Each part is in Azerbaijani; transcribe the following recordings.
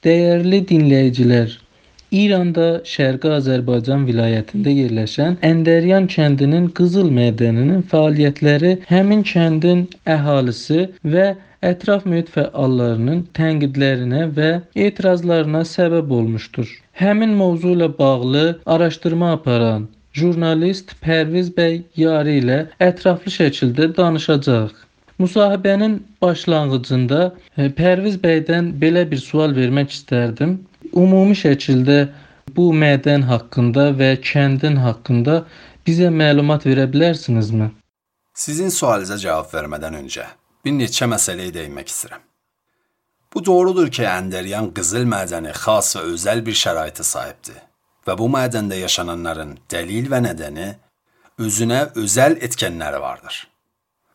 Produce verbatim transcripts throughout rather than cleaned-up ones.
Değerli dinləyicilər, İranda Şərqi Azərbaycan vilayətində yerləşən Əndəryan kəndinin qızıl mədəninin fəaliyyətləri həmin kəndin əhalisi və ətraf mühit fəallarının tənqidlərinə və etirazlarına səbəb olmuşdur. Həmin mövzu ilə bağlı araşdırma aparan jurnalist Pərviz bəy Yari ilə ətraflı şəkildə danışacağıq. Müsahibənin başlanğıcında Pərviz bəydən belə bir sual vermək istərdim. Ümumi şəkildə bu mədən haqqında və kəndin haqqında bizə məlumat verə bilərsinizmi? Sizin sualınıza cavab vermədən öncə bir neçə məsələyə değinmək istəyirəm. Bu doğrudur ki, Əndəryan qızıl mədəni xas və özəl bir şəraitə sahibdir və bu mədəndə yaşananların dəlil və nədəni özünə özəl etkənləri vardır.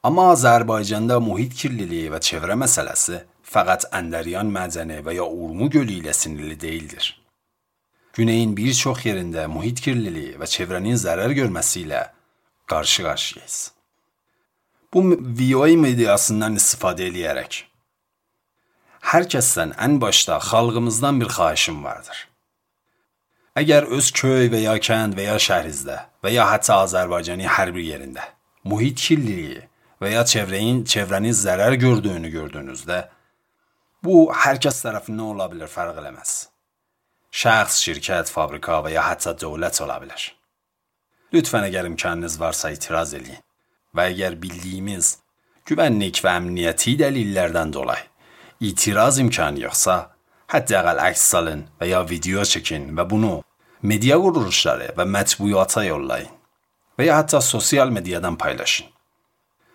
Amma Azərbaycanda mühit kirliliyi və çevrə məsələsi fəqət Əndəryan mədəni və ya Urmu gölü ilə sinirli deyildir. Güneyin bir çox yerində mühit kirliliyi və çevrənin zərər görməsi ilə qarşı-qarşıyayız. Bu V O A mediasından istifadə edərək hər kəsdən ən başda xalqımızdan bir xahişim vardır. Əgər öz köy və ya kənd və ya şəhrinizdə və ya hətta Azərbaycanın hər bir yerində mühit kirliliyi və ya çevrenin, çevrenin zərər gördüyünü gördüyünüzdə, bu hər kəs tərəfindən ola bilər, fərq eləməz. Şəxs, şirkət, fabrika və ya hətta dövlət ola bilər. Lütfən əgər imkanınız varsa itiraz edin və əgər bildiyimiz güvənlik və əmniyyəti dəlillərdən dolayı itiraz imkanı yoxsa, hətta əks salın və ya video çəkin və bunu media quruluşları və mətbuata yollayın və ya hətta sosial medyadan paylaşın.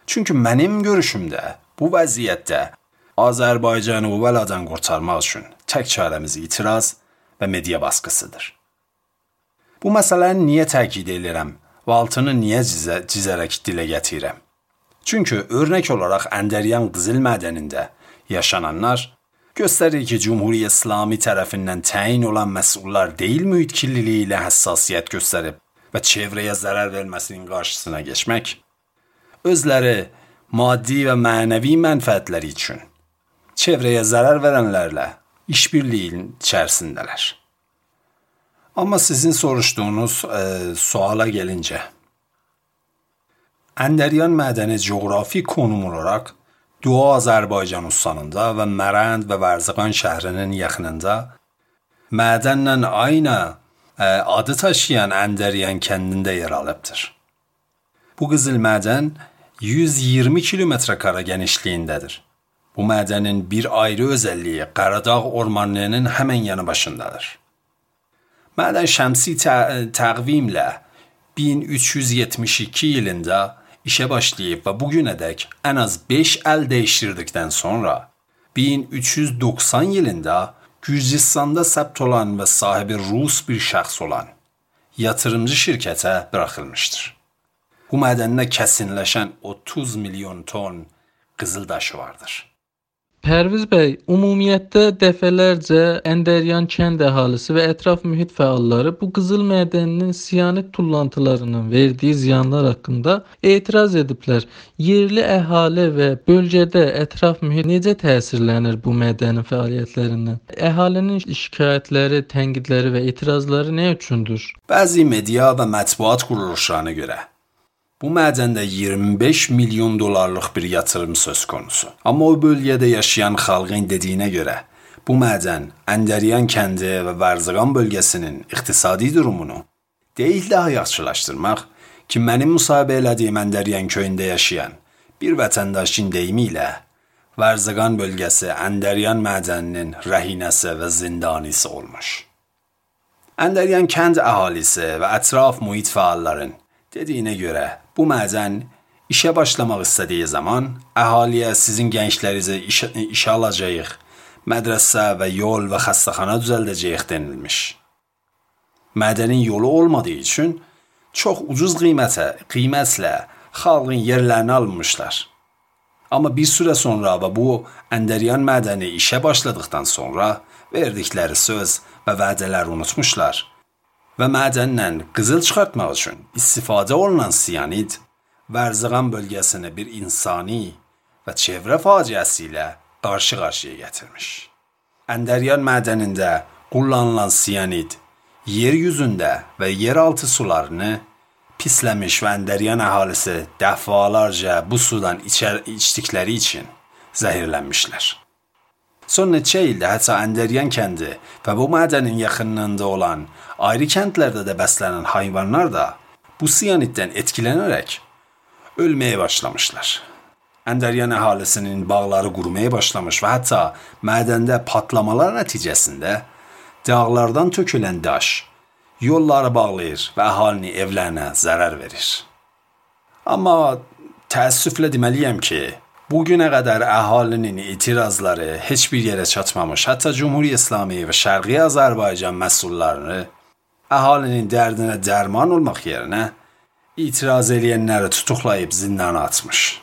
Çünki mənim görüşümdə bu vəziyyətdə Azərbaycanı bu bəladan qurtarmaq üçün tək çarəmiz itiraz və media baskısıdır. Bu məsələni niyə təkid edirəm və altını niyə cizə, cizərək dilə gətirirəm? Çünki örnək olaraq Əndəryan qızıl mədənində yaşananlar göstərir ki, Cumhuriyyə İslami tərəfindən təyin olan məsullar deyil mühit kirliliyi ilə həssasiyyət göstərib və çevrəyə zərər verməsinin qarşısına geçmək, özləri maddi və mənəvi mənfəətləri üçün çevrəyə zərər verənlərlə işbirliyin içərisindələr. Amma sizin soruşduğunuz e, suala gəlincə, Əndəryan mədəni coğrafi konum olaraq Doğu Azərbaycan ustanında və Mərənd və Vərzəqan şəhrinin yaxınında mədənlə aynı e, adı taşıyan Əndəryan kəndində yer alıbdır. Bu qızıl mədən yüz iyirmi kilometr kare genişliyindedir. Bu mədənin bir ayrı özəlliyi Qaradağ ormanlığının həmən yanı başındadır. Mədən şəmsi tə- təqvimlə bin üç yüz yetmiş iki yılında işə başlayıb və bugünədək ən az beş əl dəyiştirdikdən sonra bin üç yüz doxsan yılında Gürcistanda səbt olan və sahibi Rus bir şəxs olan yatırımcı şirkətə bırakılmışdır. Bu mədəndə kəsinləşən otuz milyon ton qızıldaşı vardır. Pərviz bəy, ümumiyyətdə dəfələrcə Əndəryan kənd əhalisi və ətraf mühit fəalları bu qızıl mədəninin siyanit tullantılarının verdiyi ziyanlar haqqında etiraz ediblər. Yerli əhali və bölgədə ətraf mühit necə təsirlənir bu mədənin fəaliyyətlərindən? Əhalinin şikayətləri, tənqidləri və etirazları nə üçündür? Bəzi media və mətbuat quruluşlarına görə bu mədəndə iyirmi beş milyon dolarlıq bir yatırım söz konusu. Amma o bölgədə yaşayan xalqın dediyinə görə bu mədən Əndəryan kəndi və Vərzəqan bölgəsinin iqtisadi durumunu deyil daha yaxşılaşdırmaq ki, mənim müsahibə elədiyim Əndəryan köyündə yaşayan bir vətəndaşın deyimi ilə Vərzəqan bölgəsi Əndəryan mədəninin rəhinəsi və zindanisi olmuş. Əndəryan kənd əhalisi və ətraf mühit fəalların dediyinə görə bu mədən işə başlamaq istədiyi zaman əhaliyə sizin gənclərinizə iş, işə alacağıq, mədrəsə və yol və xəstəxana düzəldəcəyik denilmiş. Mədənin yolu olmadığı üçün çox ucuz qiymətə, qiymətlə xalqın yerlərini almışlar. Amma bir süre sonra və bu Əndəryan mədəni işə başladıktan sonra verdikləri söz və vədələri unutmuşlar. Və mədəndən qızıl çıxartmaq üçün istifadə olunan siyanid Vərzəqan bölgəsini bir insani və çevrə faciəsi ilə qarşı-qarşıya gətirmiş. Əndəryan mədənində kullanılan siyanid yeryüzündə və yeraltı sularını pisləmiş və Əndəryan əhalisi dəfalarca bu sudan içər, içdikləri için zəhirlənmişlər. Son neçə ildə hətta Əndəryan kəndi və bu mədənin yaxınlığında olan ayrı kəndlərdə də bəslənən hayvanlar da bu siyaniddən etkilənərək ölməyə başlamışlar. Əndəryan əhalisinin bağları qurumaya başlamış və hətta mədəndə patlamalar nəticəsində dağlardan tökülən daş yolları bağlayır və əhalinin evlərinə zərər verir. Amma təəssüflə deməliyəm ki, bugünə qədər əhalinin etirazları heç bir yerə çatmamış. Hətta Cumhuriyyət İslami və Şərqi Azərbaycan məsullarını əhalinin dərdinə dərman olmaq yerinə itiraz edənləri tutuqlayıb zindana atmış.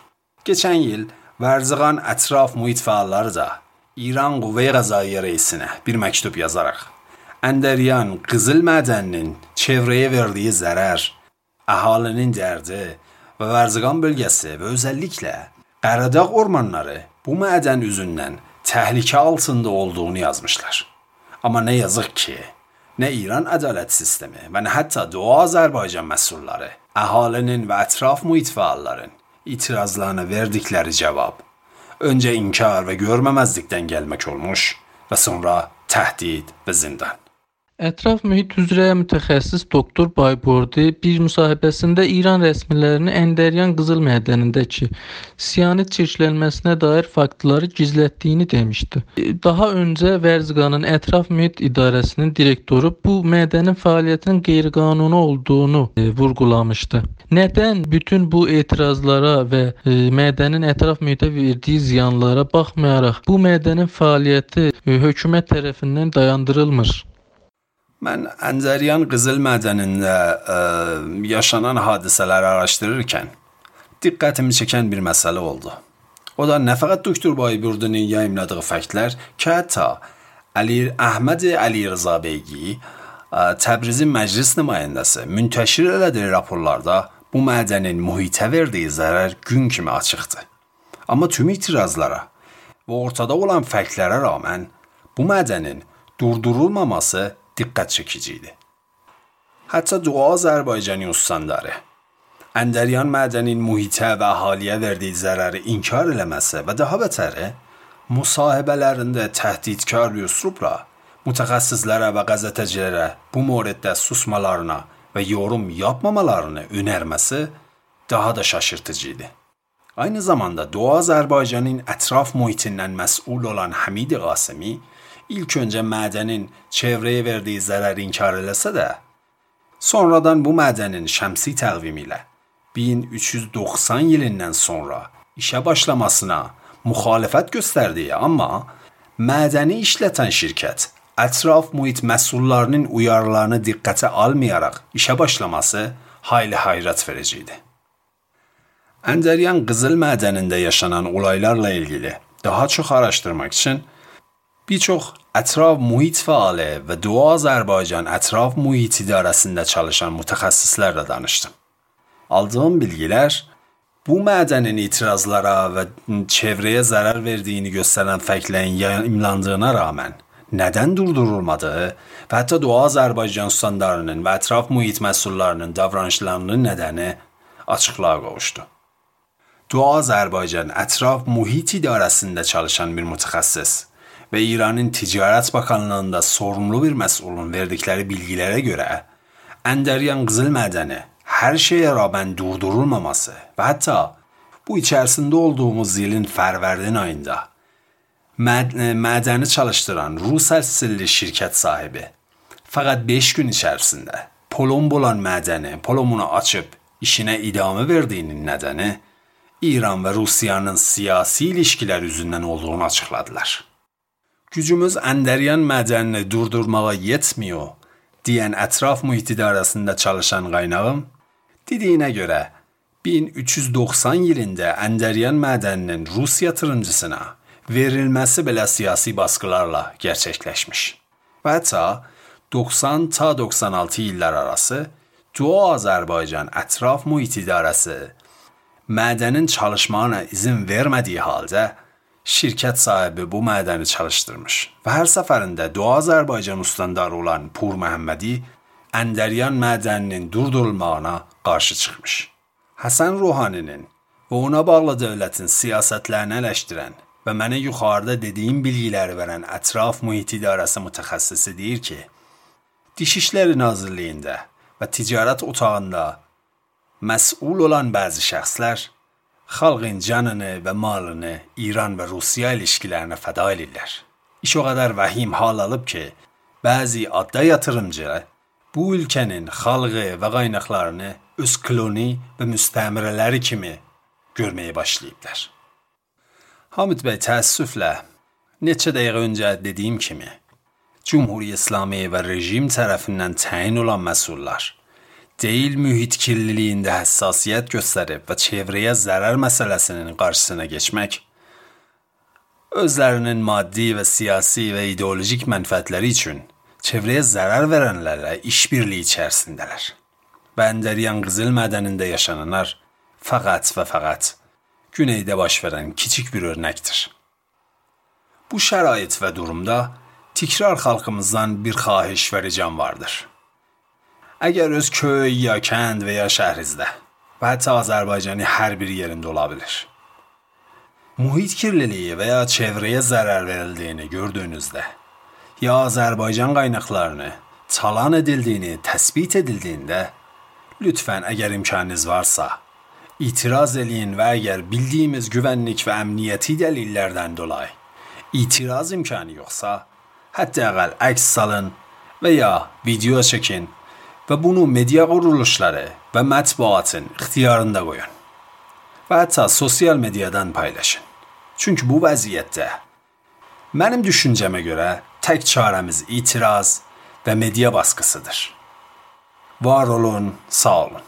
Geçən il Vərzıqan ətraf mühit fəalları da İran Qüvvə-i Qəzzaiyə reisinə bir məktub yazaraq Əndəryan qızıl mədəninin çevrəyə verdiyi zərər, əhalinin dərdi və Vərzıqan bölgəsi və özəlliklə Qaradağ ormanları bu mədən üzündən təhlükə altında olduğunu yazmışlar. Amma nə yazıq ki, nə İran ədalət sistemi və nə hətta Doğu Azərbaycan məsulları əhalinin və ətraf mühit fəalların itirazlarına verdikləri cavab öncə inkar və görməməzlikdən gəlmək olmuş və sonra təhdid və zindan. Ətraf mühit üzrə mütəxəssis doktor Bayburdi bir müsahibəsində İran rəsmilərinin Əndəryan qızıl mədənindəki siyanid çirklənməsinə dair faktları gizlətdiyini demişdi. Daha öncə Vərzıqanın Ətraf Mühit İdarəsinin direktoru bu mədənin fəaliyyətinin qeyri-qanuni olduğunu e, vurğulamışdı. Nədən bütün bu etirazlara və e, mədənin ətraf mühitə verdiyi ziyanlara baxmayaraq bu mədənin fəaliyyəti e, hökumət tərəfindən dayandırılmır? Mən Əndəryan qızıl mədənində ə, yaşanan hadisələri araşdırırkən diqqətimi çəkən bir məsələ oldu. O da nə fəqət doktor Bayburdinin yayımladığı faktlar ki, hətta Əli Əhməd Əli Rıza Beygi, ə, Təbrizin məclis nümayəndəsi müntəşir elədiyi raporlarda bu mədənin mühitə verdiyi zərər gün kimi açıqdır. Amma tüm itirazlara və ortada olan faktlara rağmen bu mədənin durdurulmaması diqqət çekici idi. Hətta Doğu Azərbaycan ustandları Əndəryan mədənin mühitə və əhaliyə verdiyi zərəri inkar eləməsə və daha betəri müsahibələrində təhdidkar bir üslubla mütəxəssislərə və qəzetəcilərə bu moriddə susmalarına və yorum yapmamalarını önərməsi daha da şaşırtıcı idi. Aynı zamanda Doğu Azərbaycanın ətraf mühitindən məsul olan Hamid Qasimi İlk öncə mədənin çevrəyə verdiyi zərəri inkar eləsə də, sonradan bu mədənin şəmsi təqvimi ilə bin üç yüz doxsan yilindən sonra işə başlamasına müxalifət göstərdiyi, amma mədəni işlətən şirkət ətraf mühit məsullarının uyarılarını diqqətə almayaraq işə başlaması hayli hayrət vericiydi. Əndəryan qızıl mədənində yaşanan olaylarla ilgili daha çox araşdırmaq üçün bir çox ətraf mühit fəali və Doğu Azərbaycan ətraf mühit idarəsində çalışan mütəxəssislərlə danışdım. Aldığım bilgilər bu mədənin itirazlara və çevrəyə zərər verdiyini göstərən faktlərin yayımlandığına rağmen nədən durdurulmadığı və hətta Doğu Azərbaycan standartlarının və ətraf mühit məsullarının davranışlarının nədəni açıqlığa qovuşdu. Doğu Azərbaycan ətraf mühit idarəsində çalışan bir mütəxəssis və İranın Ticarət Bakanlığında sorumlu bir məsulun verdikləri bilgilərə görə Əndəryan qızıl mədəni hər şeyə rağmen durdurulmaması və hətta bu içərisində olduğumuz ilin fərvərdin ayında məd mədəni çalışdıran Rus əsilli şirkət sahibi fəqət beş gün içərisində polom olan mədəni polomunu açıb işinə idamə verdiyinin nədəni İran və Rusiyanın siyasi ilişkilər üzündən olduğunu açıqladılar. Gücümüz Əndəryan mədənini durdurmağa yetmiyor deyən ətraf mühit idarəsində çalışan qaynağım dediyinə görə bin üç yüz doxsan yılında Əndəryan mədəninin Rus yatırımcısına verilməsi belə siyasi baskılarla gerçəkləşmiş. Və hətta doxsan ta doxsan altı illər arası Doğu Azərbaycan ətraf mühit idarəsi mədənin çalışmağına izin vermədiyi halda şirkət sahibi bu mədəni çalışdırmış və hər səfərində Doğu Azərbaycan ustandarı olan Pur Məhəmmədi Əndəryan mədəninin durdurulmağına qarşı çıxmış. Həsən Ruhaninin və ona bağlı dövlətin siyasətlərini eleştirən və mənə yuxarıda dediyim bilgiləri verən ətraf mühit idarəsi mütəxəssisi deyir ki, Dişişləri Nazirliyində və ticarət otağında məsul olan bəzi şəxslər xalqın canını və malını İran və Rusiya ilişkilərinə fəda edirlər. İş o qədər vəhim hal alıb ki, bəzi adda yatırımcı bu ülkənin xalqı və qaynaqlarını öz kloni və müstəmirələri kimi görməyə başlayıblar. Hamid bəy, təəssüflə, neçə dəqiqə öncə dediyim kimi, Cumhuriyyə İslami və rejim tərəfindən təyin olan məsullar deyil mühit kirliliyində həssasiyyət göstərib və çevrəyə zərər məsələsinin qarşısına geçmək, özlərinin maddi və siyasi və ideolojik mənfəətləri üçün çevrəyə zərər verənlərlə işbirliyi içərisindələr. Və Əndəryan qızıl mədənində yaşananlar fəqət və fəqət güneydə baş verən kiçik bir örnəkdir. Bu şərait və durumda tikrar xalqımızdan bir xahiş və ricam vardır. Əgər öz köy ya kənd və ya şəhrinizdə və hətta Azərbaycanın hər bir yerində ola bilir, mühit kirliliyi və ya çevrəyə zərər verildiyini gördüyünüzdə ya Azərbaycan qaynaqlarını talan edildiyini təsbit edildiyində, lütfən əgər imkanınız varsa, itiraz eləyin və əgər bildiyimiz güvənlik və əmniyyəti dəlillərdən dolayı itiraz imkanı yoxsa, hətta əqəl əks salın və ya video çəkin və bunu media quruluşları və mətbuatın ixtiyarında qoyun və hətta sosial mediadan paylaşın. Çünki bu vəziyyətdə mənim düşüncəmə görə tək çarəmiz itiraz və media baskısıdır. Var olun, sağ olun.